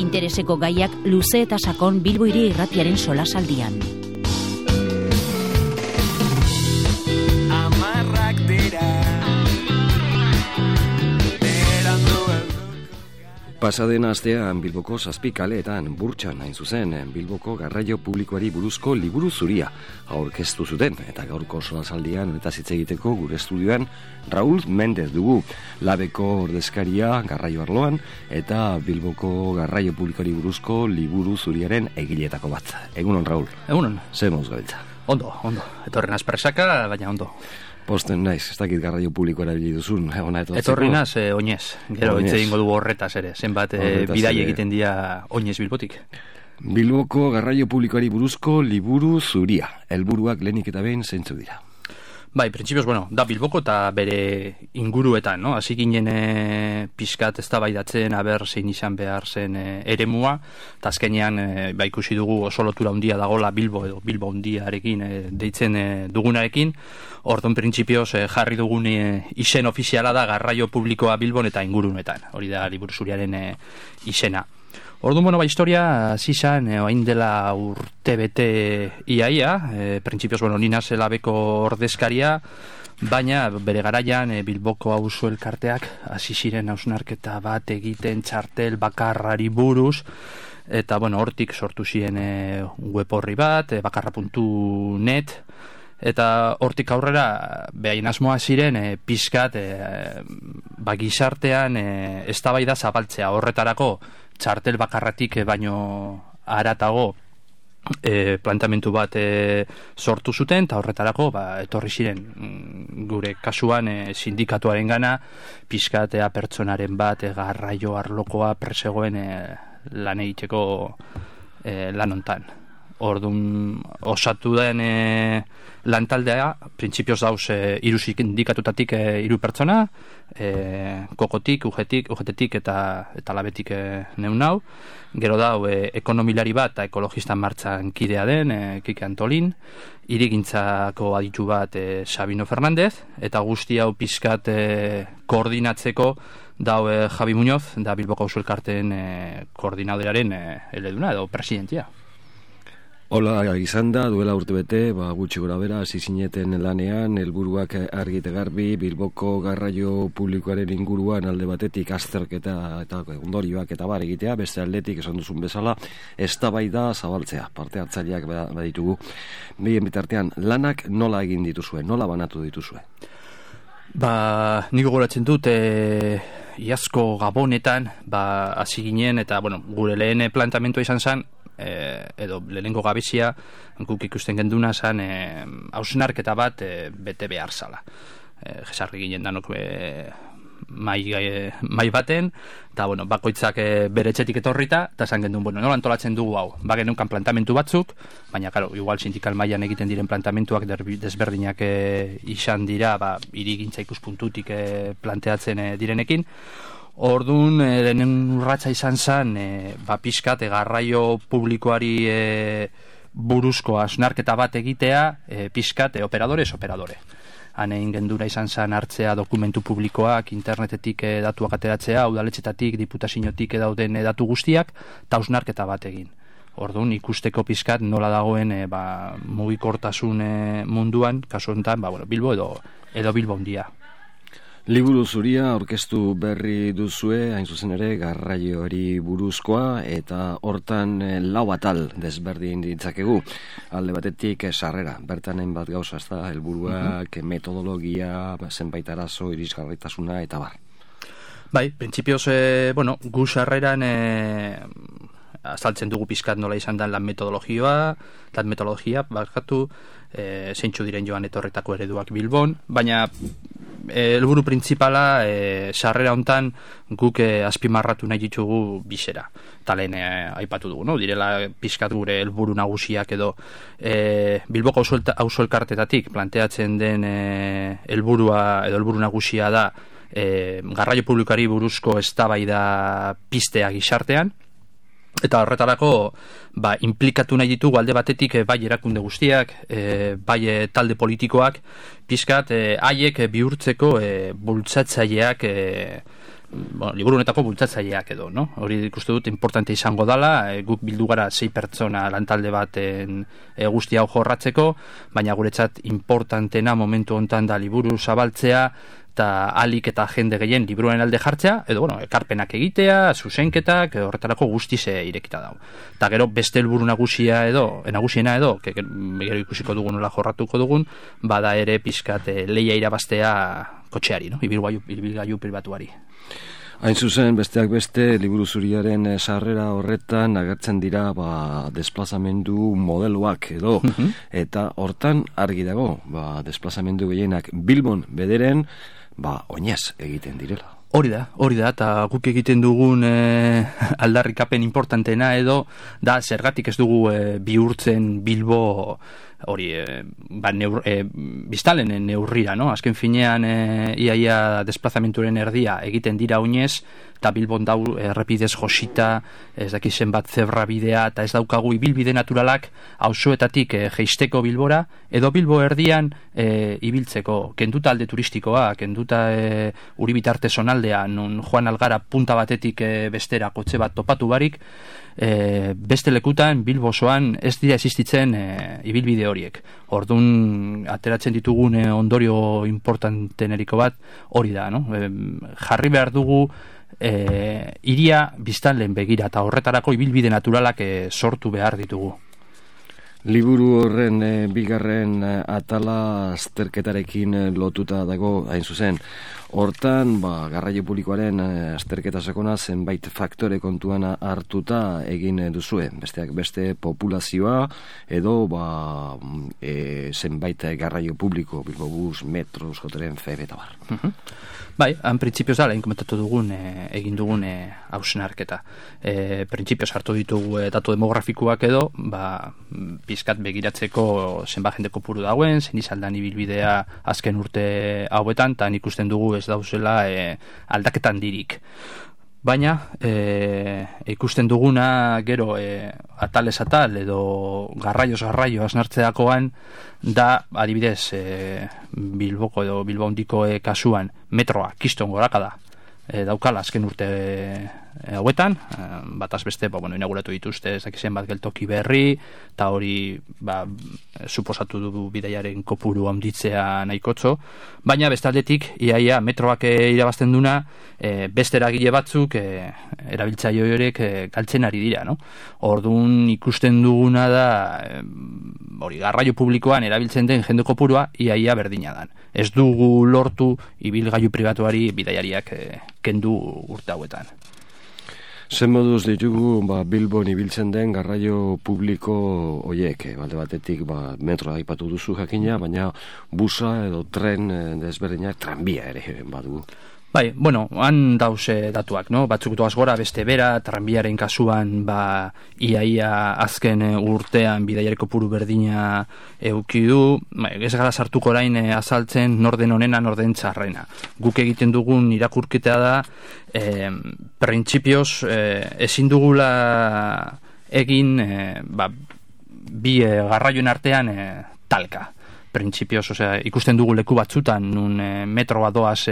intereseko gaiak luze eta sakon Bilbo Hiri Irratiaren solasaldian. Pasaden astean Bilboko 7 kaleetan burtsan hain zuzen Bilboko garraio publikoari buruzko liburu zuria aurkeztu zuten, eta gaurko solasaldian honetaz hitz egiteko gure estudioan Raúl Mendez dugu, Labeko ordezkaria garraio arloan eta Bilboko garraio publikoari buruzko liburu zuriaren egileetako bat. Egunon, Raúl. Egunon. Zer moduz gabiltza? Ondo. Etorren aspresaka, baina ondo. Posten naiz, ez dakit garraio publiko erabili duzun. Etorri naz, oinez. Gero hitz egingo dugu horretaz ere. Zenbat bidai egiten dira oinez Bilbotik. Bilboko garraio publikoari buruzko liburu zuria. Helburuak lehenik eta behin zeintzuk dira? Bai, printzipioz, da Bilboko eta bere inguruetan, no? Hasi ginen pixkat eztabaidatzen aber zein izan behar zen eremua, eta azkenean ikusi dugu oso lotura handia dagola Bilbo edo Bilbo handiarekin deitzen dugunarekin. Orduan printzipioz jarri dugun izen ofiziala da garraio publikoa Bilbon eta ingurunetan. Hori da liburu zuriaren izena. Orduan, historia zizan, oain dela urtebete iaia, printzipioz, nina Labeko ordezkaria, baina bere garaian Bilboko auzo elkarteak hasi ziren hausnarketa bat egiten txartel bakarrari buruz, eta hortik sortu ziren web horri bat, bakarra.net, eta hortik aurrera behain asmoa ziren pixkat gizartean eztabaida zabaltzea. Horretarako txartel bakarratik baino haratago planteamendu bat sortu zuten, eta horretarako etorri ziren gure kasuan sindikatuaren gana pixkatea pertsonaren bat garraio arlokoa presegoen lan egiteko lan hontan. Orduan osatu den lantaldea, printzipioz dauz 3 sindikatutatik 3 pertsona, Kokotik, UGTtik eta Labetik neunau. Gero dau ekonomilari bat eta ekologista martxan kidea den, Kike Antolin, hirigintzako aditu bat Sabino Fernandez, eta guzti hau pizkat koordinatzeko dau Javi Muñoz, da Bilboko auzo elkarteen koordinadorearen eleduna edo presidentia. Hola, izan da, duela urtebete, gutxi gora bera, hasi zineten lanean, helburuak argite garbi, Bilboko garraio publikoaren inguruan alde batetik azterketa eta ondorioak eta bar egitea, beste aldetik esan duzun bezala, eztabaida zabaltzea, parte hartzaileak baditugu. Bien bitartean, lanak nola egin dituzue, nola banatu dituzue? Nik gogoratzen dut, iazko Gabonetan, hasi ginen, eta gure lehen planteamentua izan zen, edo lehenengo gabezia guk ikusten genduna zen hausnarketa bat bete behar zala. Jesarri ginen danok mai baten, eta bakoitzak bere etxetik etorrita, eta esan gendun, nola antolatzen dugu hau, geneukan plantamentu batzuk, baina igual sindikal mailan egiten diren plantamentuak desberdinak izan dira, hirigintza ikuspuntutik planteatzen direnekin. Orduan, lehen urratsa izan zen, pixkat garraio publikoari buruzko hausnarketa bat egitea, pixkat operadore. Han egin gendura izan zen hartzea dokumentu publikoak, internetetik datuak ateratzea, udaletxetatik, diputaziotik dauden datu guztiak, eta hausnarketa bat egin. Orduan, ikusteko pixkat nola dagoen mugikortasun munduan, kasu honetan, Bilbo edo Bilbo handia. Liburu zuria aurkeztu berri duzue, hain zuzen ere, garraioari buruzkoa, eta hortan 4 atal desberdin ditzakegu. Alde batetik sarrera, bertan hainbat gauza, ez da, helburuak, metodologia, zenbait arazo, irisgarritasuna, eta bar. Bai, printzipioz, gu sarreran azaltzen dugu pizkat nola izan da lan metodologia, zeintzu diren joan etorretako ereduak Bilbon, baina helburu printzipala sarrera hontan guk azpimarratu nahi ditugu bizera. Eta lehen aipatu dugu, direla pizkat gure helburu nagusiak edo Bilboko auzo elkartetatik planteatzen den helburua edo helburu nagusia da garraio publikoari buruzko eztabaida piztea gizartean. Eta horretarako implikatu nahi ditugu alde batetik bai erakunde guztiak, bai talde politikoak, pizkat haiek bihurtzeko bultzatzaileak liburu honetako bultzatzaileak edo, no? Hori ikuste dut importante izango dala, guk bildu gara 6 pertsona lantalde baten guzti hau jorratzeko, baina guretzat importantena momentu hontan da liburu zabaltzea, eta alik eta jende gehien liburuaren alde jartzea, edo, ekarpenak egitea, zuzenketak, horretarako guztiz irekita dago. Eta gero, beste helburu nagusiena edo, gero ikusiko dugun, nola jorratuko dugun, bada ere pizkat lehia irabaztea kotxeari, no? Ibilgailu pribatuari. Hain zuzen, besteak beste, liburu zuriaren sarrera horretan agertzen dira desplazamendu modeloak edo, eta hortan argi dago, desplazamendu gehienak Bilbon bederen, oinez egiten direla. Hori da, eta guk egiten dugun aldarrikapen importantena edo, da zergatik ez dugu bihurtzen Bilbo hori biztanleen neurrira, no? Azken finean iaia desplazamenturen erdia egiten dira oinez, eta Bilbon dau errepidez josita, ez dakizen bat zebra bidea, eta ez daukagu ibilbide naturalak auzoetatik jeisteko Bilbora, edo Bilbo erdian ibiltzeko, kenduta alde turistikoa, kenduta Uribitarte zonaldea, non joan algara punta batetik bestera kotxe bat topatu barik, beste lekutan Bilbo osoan ez dira existitzen ibilbide horiek. Orduan ateratzen ditugun ondorio importanteneriko bat hori da, no? Jarri behar dugu iria biztanleen begira, eta horretarako ibilbide naturalak sortu behar ditugu. Liburu horren bigarren atala azterketarekin lotuta dago, hain zuzen. Hortan, garraio publikoaren azterketa sakona zenbait faktore kontuan hartuta egin duzue. Besteak beste populazioa edo zenbait garraio publiko, Bilbobus, Metro, Euskotren, FEB eta bar. Bai, han printzipioz da, lehen komentatu dugun, egin dugun hausnarketa. Printzipioz hartu ditugu datu demografikoak edo, pizkat begiratzeko zenbat jende kopuru dauen, zein izaldan ibilbidea azken urte hauetan, eta ikusten dugu ez dauzela aldaketan dirik. Baina, ikusten duguna gero atalez atal edo garraioz garraio asnartzeakoan da, adibidez, Bilboko edo Bilbao handiko kasuan metroa kiston gorakada daukala azken urte hauetan, bataz beste, inauguratu dituzte ez dakizen bat geltoki berri, eta hori suposatu du bidaiaren kopuru handitzea nahikotxo, baina bestaldetik iaia metroak irabazten duna beste eragile batzuk erabiltzaile horiek galtzen ari dira, no? Orduan ikusten duguna da hori garraio publikoan erabiltzen den jende kopurua iaia berdina dan. Ez dugu lortu ibilgailu pribatuari bidaiariak kendu urte hauetan. Zen moduz ditugu Bilbon ibiltzen den garraio publiko hoiek, balde batetik metroa aipatu duzu jakina, baina busa edo tren desberdinak, tranbia ere badugu. Bai, han dauze datuak, no? Batzuk doaz gora, beste bera, tranbiaren kasuan, iaia azken urtean bidaiareko puru berdina eukidu, ez gara sartuko orain azaltzen norden onena, norden txarrena. Guk egiten dugun irakurketea da, printzipioz, ezin dugula egin, bi garraioen artean talka. Printzipioz, ikusten dugu leku batzutan, nun metroa doaz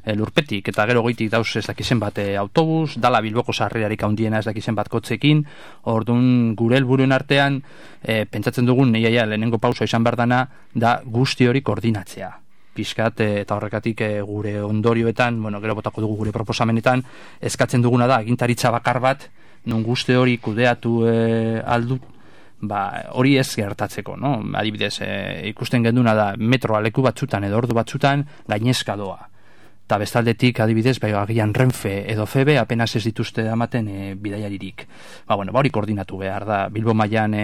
lurpetik, eta gero goitik dauz ez dakizen bat autobus, dala Bilboko sarrerarik handiena ez dakizen bat kotzekin, orduan gure helburuen artean, pentsatzen dugun, neiaia lehenengo pausa izan behar dana, da guzti hori koordinatzea. Pizkat, eta horrekatik gure ondorioetan, gero botako dugu gure proposamenetan, eskatzen duguna da, agintaritza bakar bat, nun guzti hori kudeatu aldut, hori ez gertatzeko, no? Adibidez, ikusten genduna da metroa leku batzutan edo ordu batzutan gainezka doa. Eta bestaldetik, adibidez, agian Renfe edo FEB apenas ez dituzte ematen bidaiaririk. Hori koordinatu behar da. Bilbo mailan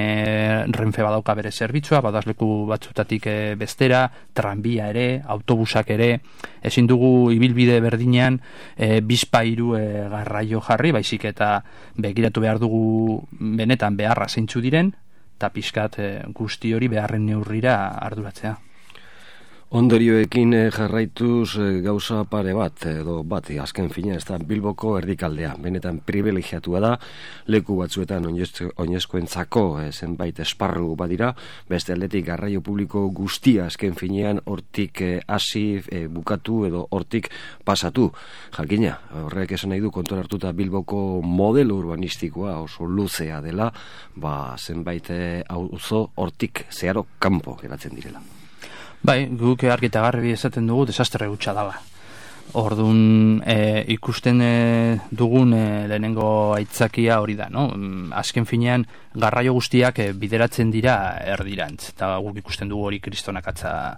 Renfe badauka bere zerbitzua, badaz leku batzutatik bestera, tranbia ere, autobusak ere, ezin dugu ibilbide berdinean bizpairu garraio jarri, baizik eta begiratu behar dugu benetan beharra zeintzu diren, eta pixkat guzti hori beharren neurrira arduratzea. Ondorioekin jarraituz gauza pare bat, azken fina, ez da Bilboko erdikaldea. Benetan privilegiatua da, leku batzuetan oinezkoentzako zenbait esparru badira, beste aldetik garraio publiko guztia azken finean hortik hasi, bukatu edo hortik pasatu. Jakina, horrek esan nahi du kontuan hartuta Bilboko modelo urbanistikoa oso luzea dela, zenbait auzo hortik zeharo kanpo geratzen direla. Bai, guk argi eta garbi esaten dugu desastre hutsa dela. Orduan ikusten dugun lehenengo aitzakia hori da, no? Azken finean garraio guztiak bideratzen dira erdirantz, eta guk ikusten dugu hori kriston akatsa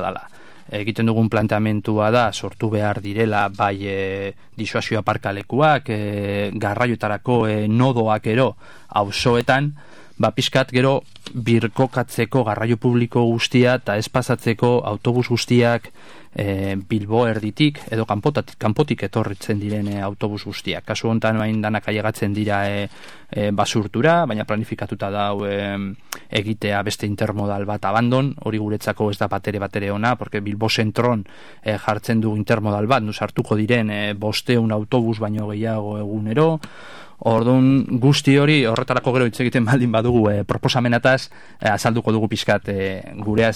dela. Egiten dugun planteamentua da sortu behar direla bai disuasio aparkalekuak, garraioetarako nodoak ero auzoetan, pixkat gero birkokatzeko garraio publiko guztia eta ez pasatzeko autobus guztiak Bilbo erditik edo kanpotik etorritzen diren autobus guztiak. Kasu honetan bain danak ailegatzen dira basurtura, baina planifikatuta dau egitea beste intermodal bat abandon, hori guretzako ez da batere ona, porque Bilbo zentron jartzen du intermodal bat, sartuko diren 500 autobus baino gehiago egunero. Orduan guzti hori horretarako gero hitz egiten baldin badugu proposamenataz azalduko dugu pixkat gure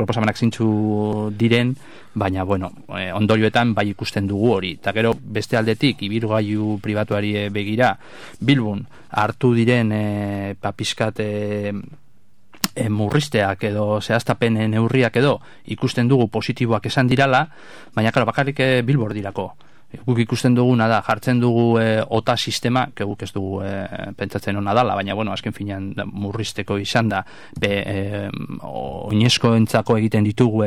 proposamenak zeintzu diren, baina ondorioetan bai ikusten dugu hori. Eta gero beste aldetik ibilgailu pribatuari begira Bilbon hartu diren pixkat murrizteak edo zehaztapen neurriak edo ikusten dugu positiboak esan dirala, baina bakarrik Bilbor dirako. Guk ikusten duguna da, jartzen dugu OTA sistema, guk ez dugu pentsatzen ona dala, baina azken finean murrizteko izan da, oinezkoentzako egiten ditugu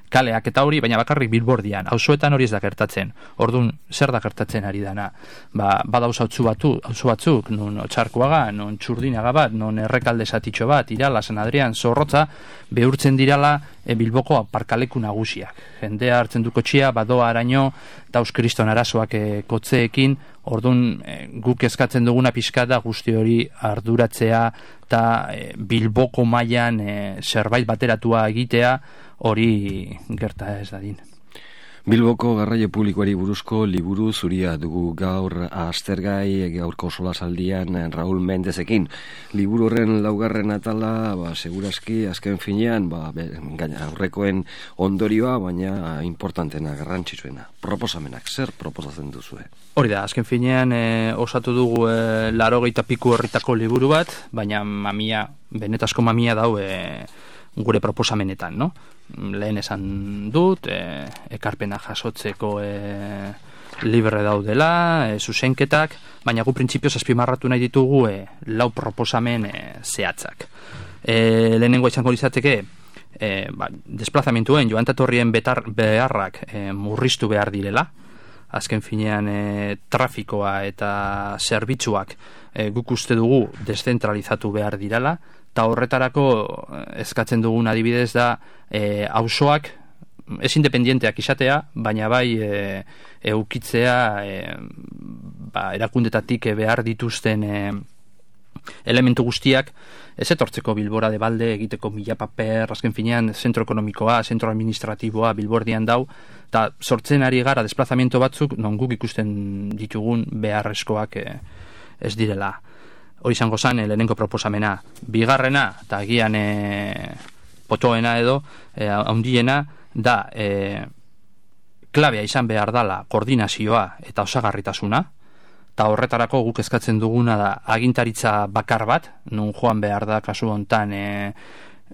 kaleak eta hori, baina bakarrik Bilbordian, auzoetan hori ez da gertatzen. Orduan, zer da gertatzen ari dana? Badauz auzo batzuk, non Otxarkoaga, non Txurdinaga bat, non Errekalde zatitxo bat, Irala, San Adrian, Zorrotza, behurtzen dirala Bilboko aparkaleku nagusiak. Jendea hartzen du kotxia, badoa araño, dauz kriston arazoak kotzeekin, orduan guk eskatzen duguna pixka da guzti hori arduratzea eta Bilboko mailan zerbait bateratua egitea hori gerta ez dadin. Bilboko garraio publikoari buruzko liburu zuria dugu gaur aztergai gaurko solasaldian Raúl Mendezekin. Liburu horren laugarren atala, segurazki azken finean, aurrekoen ondorioa, baina importantena, garrantzitsuena. Proposamenak, zer proposatzen duzue? Hori da, azken finean osatu dugu 80 piku herritako liburu bat, baina benetazko mamia dau gure proposamenetan, no? Lehen esan dut, ekarpena jasotzeko libre daudela, zuzenketak, baina gu printzipioz azpimarratu nahi ditugu 4 proposamen zehatzak. Lehenengo izango izateke, desplazamenduen joantatorrien beharrak murriztu behar direla, azken finean trafikoa eta zerbitzuak guk uste dugu deszentralizatu behar direla, eta horretarako eskatzen dugun adibidez da auzoak ez independienteak izatea, baina bai eukitzea erakundetatik behar dituzten elementu guztiak ez etortzeko Bilbora de balde egiteko mila paper, azken finean zentro ekonomikoa, zentro administratiboa Bilbordian dau, eta sortzen ari gara desplazamiento batzuk non guk ikusten ditugun beharrezkoak ez direla. Hori izango zen lehenengo proposamena. Bigarrena, eta agian potoena edo, handiena, da klabea izan behar dala koordinazioa eta osagarritasuna, eta horretarako guk eskatzen duguna da agintaritza bakar bat, non joan behar da kasu hontan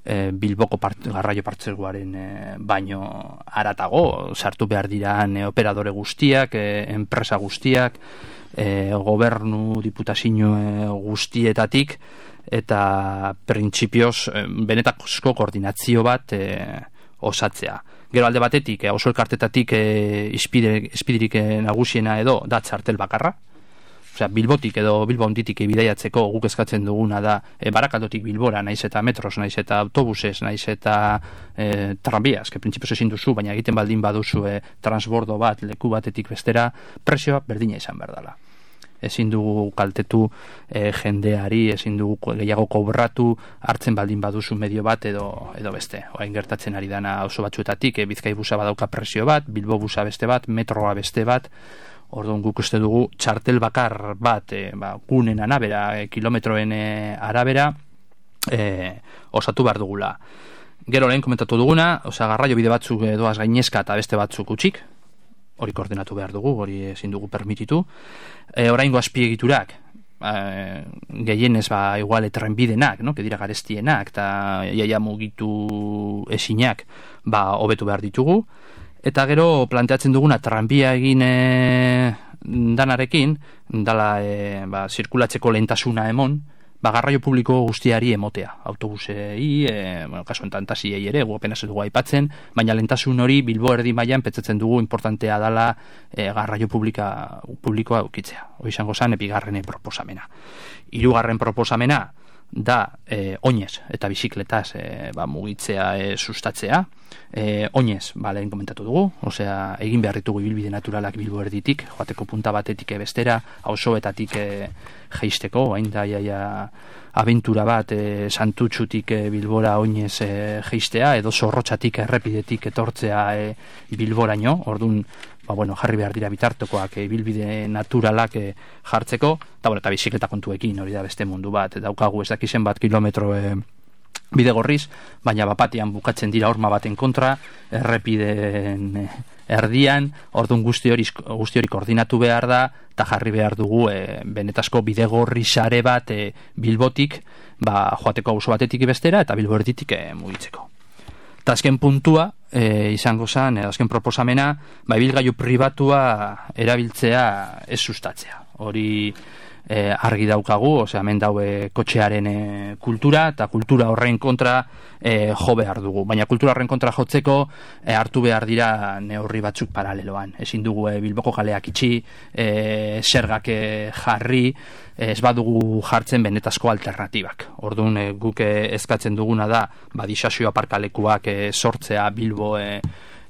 Bilboko garraio partzeguaren baino haratago, sartu behar dira operadore guztiak, enpresa guztiak, gobernu diputazio guztietatik, eta printzipioz benetako koordinazio bat osatzea. Gero alde batetik, oso elkartetatik izpidirik nagusiena edo da txartel bakarra, osea, Bilbotik edo Bilbo honditik bidaiatzeko guk eskatzen duguna da Barakaldotik Bilbora, naiz eta metros, naiz eta autobuses, naiz eta tranbiaz, que printzipioz ezin duzu, baina egiten baldin baduzu transbordo bat, leku batetik bestera, presioa berdina izan behar dela. ezin dugu kaltetu jendeari, ezin dugu gehiago kobratu hartzen baldin baduzu medio bat edo beste. Orain gertatzen ari dana oso batzuetatik, Bizkai busa badauka presio bat, Bilbo busa beste bat, metroa beste bat. Orduan guk uste dugu txartel bakar bat gunen arabera, kilometroen arabera osatu behar dugula. Gero lehen komentatu duguna, garraio bide batzuk doaz gainezka eta beste batzuk utxik, hori koordinatu behar dugu, hori ezin dugu permititu. Oraingo azpiegiturak, gehienez igual trenbidenak, no? Que dira garestienak eta jaia mugitu esinak hobetu behar ditugu. Eta gero planteatzen duguna tranbia egin danarekin, dala zirkulatzeko lehentasuna emon, garraio publiko guztiari emotea. Autobusei, kaso enten tasiei ere, gu apenas dugu aipatzen, baina lehentasun hori Bilbo erdi mailan pentsatzen dugu importantea dala garraio publikoa ukitzea. Hori izango zen, bigarren proposamena. Hirugarren proposamena da oinez eta bizikletaz mugitzea sustatzea. Oinez, lehen komentatu dugu, egin behar ditugu ibilbide naturalak Bilbo erditik, joateko punta batetik bestera, auzoetatik jeisteko, hain da abentura bat Santutxutik Bilbora oinez jeistea, edo Zorrotxatik errepidetik etortzea Bilboraino, orduan jarri behar dira bitartekoak ibilbide naturalak jartzeko, eta bizikleta kontuekin, hori da beste mundu bat, daukagu ez dakizen bat kilometro bide gorriz, baina bapatian bukatzen dira horma baten kontra, errepideen erdian, orduan guzti hori koordinatu behar da, eta jarri behar dugu benetazko bide gorri sare bat Bilbotik, joateko auzo batetik bestera, eta Bilbo erditik mugitzeko. Eta azken puntua, izango zen, azken proposamena, ibilgailu pribatua erabiltzea ez sustatzea. Hori argi daukagu, hemen daue kotxearen kultura, eta kultura horren kontra jo behar dugu. Baina kultura horren kontra jotzeko hartu behar dira neurri batzuk paraleloan. Ezin dugu Bilboko kaleak itxi, zergak jarri, ez badugu jartzen benetazko alternatibak. Orduan guk eskatzen duguna da disasio aparkalekuak sortzea Bilbo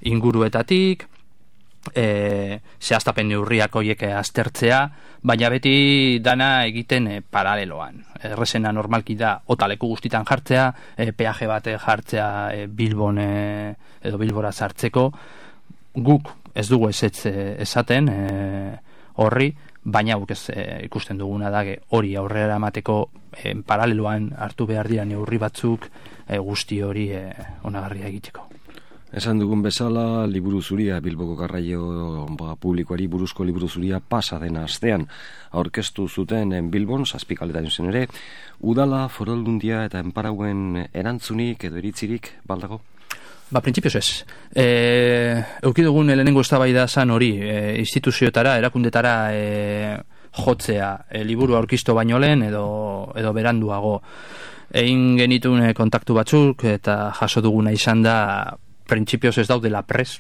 inguruetatik, zehaztapen neurriak horiek aztertzea, baina beti dana egiten paraleloan. Errezena normalki da otaleku guztitan jartzea, peaje bat jartzea Bilbon edo Bilbora sartzeko. Guk ez dugu esaten horri, baina guk ikusten duguna da hori aurrera emateko paraleloan hartu behar dira neurri batzuk guzti hori onagarria egiteko. Esan dugun bezala, liburu zuria, Bilboko garraio publikoari buruzko liburu zuria pasa dena astean aurkeztu zuten Bilbon, zazpikaletan zen ere, udala, foraldundia eta enparauen erantzunik edo iritzirik baldago? Printzipioz ez. Eukidugun lehenengo eztabaida zan hori, instituzioetara, erakundetara jotzea, liburu aurkistu baino lehen edo beranduago. Egin genitun kontaktu batzuk eta jaso duguna izan da printzipioz ez daudela pres,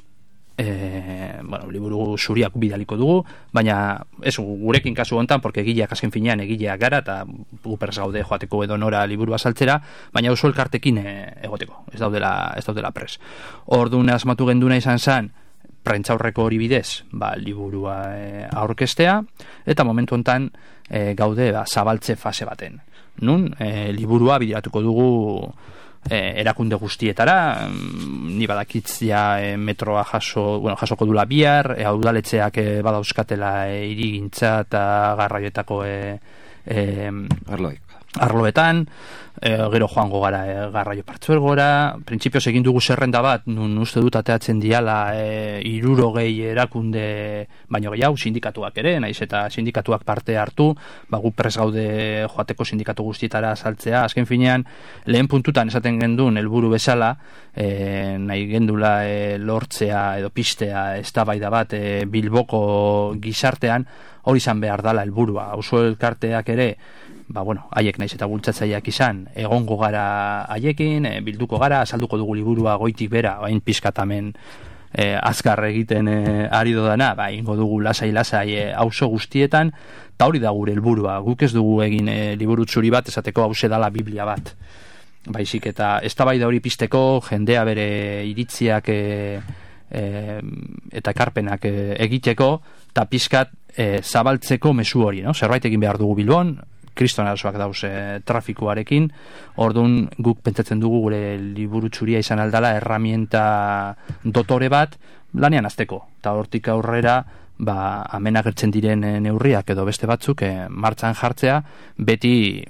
liburu zuriak bidaliko dugu, baina ez gurekin kasu hontan, porque egileak azken finean egileak gara, eta gu pres gaude joateko edo nora liburu azaltzera, baina oso elkartekin egoteko, ez daudela pres. Orduan asmatu genduna izan zen, prentzaurreko hori bidez, liburua aurkestea, eta momentu hontan gaude zabaltze fase baten. Nun, liburua bideratuko dugu erakunde guztietara, ni badakitzia metroa jasoko dula bihar, udaletxeak badauzkatela hirigintza eta garraioetako arloetan, gero joango gara garraio partzuergora. Printzipioz egin dugu zerrenda bat, nun uste dut ateatzen diala 60 erakunde baino gehiago, sindikatuak ere, naiz eta sindikatuak parte hartu, gu prest gaude joateko sindikatu guztietara saltzea. Azken finean, lehen puntutan esaten gendun helburu bezala, nahi gendula lortzea edo pistea eztabaida bat Bilboko gizartean, hori izan behar dala helburua. Auzo elkarteak ere, haiek naiz eta bultzatzaileak izan, egongo gara haiekin, bilduko gara, azalduko dugu liburua goitik bera, hain pizkatamen azkar egiten ari dodana, ingo dugu lasai auzo guztietan, eta hori da gure helburua. Guk ez dugu egin liburu zuri bat, esateko hause dala Biblia bat. Baizik eta eztabaida hori pizteko, jendea bere iritziak eta ekarpenak egiteko, eta pizkat zabaltzeko mezu hori, no? Zerbait egin behar dugu Bilbon, kriston arazoak dauz trafikoarekin, orduan guk pentsatzen dugu gure liburu txuria izan aldala herramienta dotore bat lanean azteko, eta hortik aurrera hemen agertzen diren neurriak edo beste batzuk martxan jartzea, beti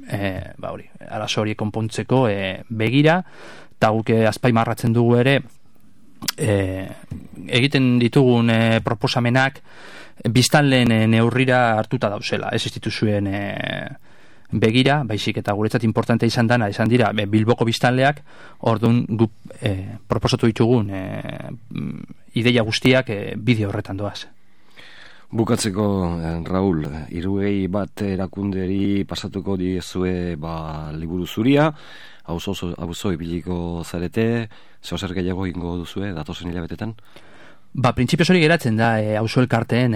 arazo hori konpontzeko begira, eta guk azpaimarratzen dugu ere egiten ditugun proposamenak biztanleen neurrira hartuta dauzela, ez instituzioen begira, baizik eta guretzat importante izan dira Bilboko biztanleak, orduan guk proposatu ditugun ideia guztiak bideo horretan doaz. Bukatzeko, Raul, 21 erakunderi pasatuko diezue liburu zuria, auzo ibiliko zarete, zer gehiago ingo duzue datozen hilabetetan? Printzipioz hori geratzen da auzo elkarteen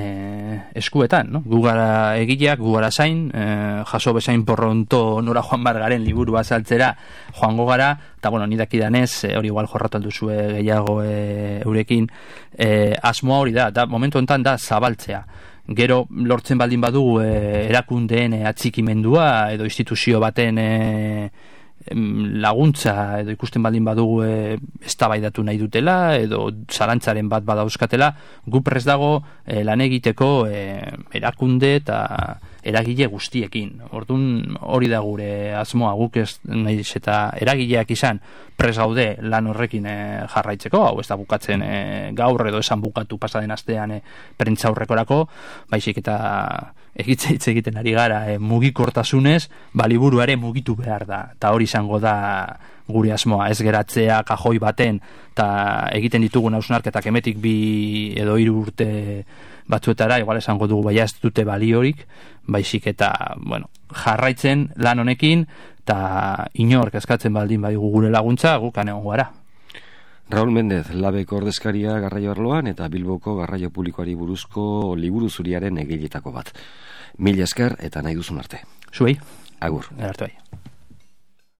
eskuetan, no? Gu gara egileak, gu gara zain, jaso bezain porronto nora joan bargaren liburu azaltzera joango gara, eta ni dakidanez, hori igual jorratu alduzue gehiago eurekin, asmoa hori da, momentu honetan da zabaltzea. Gero lortzen baldin badugu erakundeen atxikimendua edo instituzio baten laguntza edo ikusten baldin badugu eztabaidatu nahi dutela edo zalantzaren bat badauzkatela, gu prest dago lan egiteko erakunde eta eragile guztiekin. Orduan hori da gure asmoa, guk ez nahiz eta eragileak izan prest gaude lan horrekin jarraitzeko, hau ez da bukatzen gaur edo esan bukatu pasaden astean prentza aurrekorako, baizik eta hitz egiten ari gara mugikortasunez, liburuare mugitu behar da, eta hori izango da gure asmoa, ez geratzea kajoi baten eta egiten ditugun hausnarketak emetik 2 edo 3 urte batzuetara, igual esango dugu ez dute baliorik, baizik eta jarraitzen lan honekin eta inork eskatzen baldin badigu gure laguntza, guk egongo gara. Raul Mendez, Labeko ordezkaria garraio arloan eta Bilboko garraio publikoari buruzko liburu zuriaren egiletako bat. Mila esker eta nahi duzun arte. Zuei. Agur. Arte bai.